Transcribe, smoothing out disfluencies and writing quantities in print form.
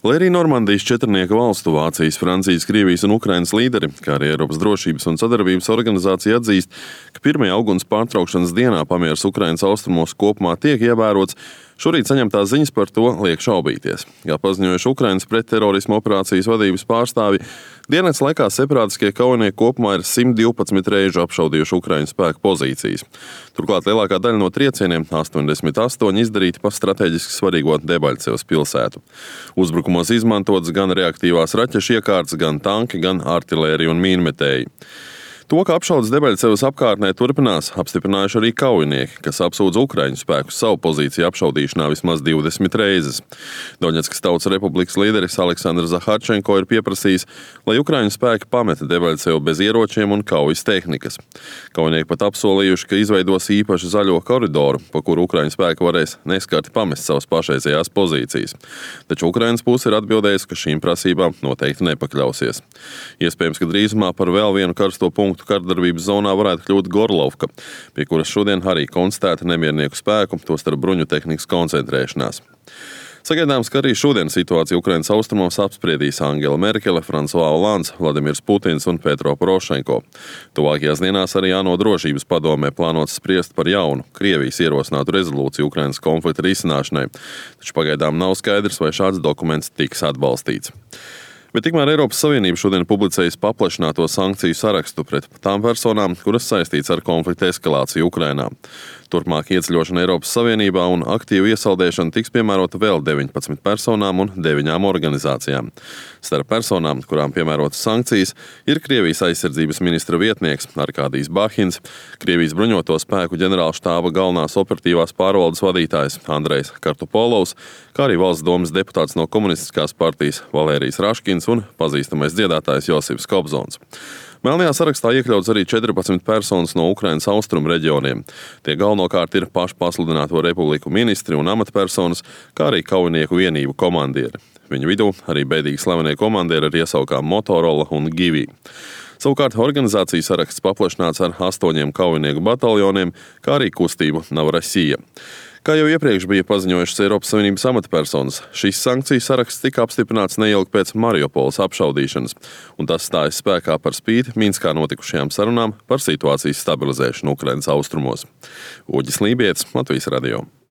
Lai arī Normandijas četrnieka valstu Vācijas, Francijas, Krievijas un Ukrainas līderi, kā arī Eiropas drošības un sadarbības organizācija atzīst, ka 1. auguns pārtraukšanas dienā pamieris Ukrainas austrumos kopumā tiek ievērots, šorīt saņemtās ziņas par to liek šaubīties. Kā paziņojuši Ukrainas pretterorisma operācijas vadības pārstāvji, diennakts laikā separātiskie kaujinieki kopumā ir 112 reižu apšaudījuši Ukraiņu spēku pozīcijas. Turklāt lielākā daļa no triecieniem, 88, izdarīti pa strateģiski svarīgo Debaļcevas pilsētu. Uzbrukumos izmantotas gan reaktīvās raķešu iekārtas, gan tanki, gan artilērija un mīnmetēji. To, ka apšaudes Debaļcevas apkārtnē turpinās, apstiprinājuši arī kaujinieki, kas apsūdz Ukraiņu spēkus savu pozīciju apšaudīšanā vismaz 20 reizes. Doņetskas Tautas Republikas līderis Aleksandrs Zaharčenko ir pieprasījis, lai Ukraiņu spēki pameta Debaļcevu bez ieročiem un kaujas tehnikas. Kaujinieki pat apsolījuši, ka izveidos īpašu zaļo koridoru, pa kuru Ukraiņu spēki varēs neskarti pamest savas pašreizējās pozīcijas. Taču Ukrainas puse ir atbildējusi, ka šīm prasībām noteikti nepakļausies. Iespējams, ka drīzumā par vēl vienu karsto punktu kardarbības zonā varētu kļūt Gorlovka, pie kuras šodien arī konstatēta nemiernieku spēku, tostarp bruņu tehnikas koncentrēšanās. Sagaidāms, ka arī šodien situāciju Ukrainas austrumos apspriedīs Angela Merkele, François Hollands, Vladimirs Putins un Petro Porošenko. Tuvākajās dienās arī ANO drošības padomē plānots spriest par jaunu Krievijas ierosinātu rezolūciju Ukrainas konflikta risināšanai, taču pagaidām nav skaidrs, vai šāds dokuments tiks atbalstīts. Bet tikmēr Eiropas Savienība šodien publicējas paplašināto sankciju sarakstu pret tām personām, kuras saistīts ar konflikta eskalāciju Ukrainā. Turpmāk ieceļošana Eiropas Savienībā un aktīvu iesaldēšana tiks piemērota vēl 19 personām un 9 organizācijām. Starp personām, kurām piemērotas sankcijas, ir Krievijas aizsardzības ministra vietnieks Arkādijs Bahins, Krievijas bruņoto spēku ģenerālštāba galvenās operatīvās pārvaldes vadītājs Andrejs Kartupolovs, kā arī valsts domes deputāts no komunistiskās partijas Valērijs Raškins un pazīstamais dziedātājs Josifs Kobzons. Melnajā sarakstā iekļauts arī 14 personas no Ukrainas austrumu reģioniem. Tie galvenokārt ir pašpasludināto republiku ministri un amatpersonas, kā arī kaujinieku vienību komandieri. Viņu vidū arī bēdīgi slavenie komandieri ar iesaukām Motorola un Givī. Savukārt organizācijas saraksts paplašināts ar 8 kaujinieku bataljoniem, kā arī kustību Novorosija. Kā jau iepriekš bija paziņojušas Eiropas Savienības amatpersonas, šis sankciju saraksts tika apstiprināts neilgi pēc Mariupoles apšaudīšanas, un tas stājas spēkā par spīti Minskā notikušajām sarunām par situācijas stabilizēšanu Ukrainas austrumos. Uģis Lībietis, Latvijas radio.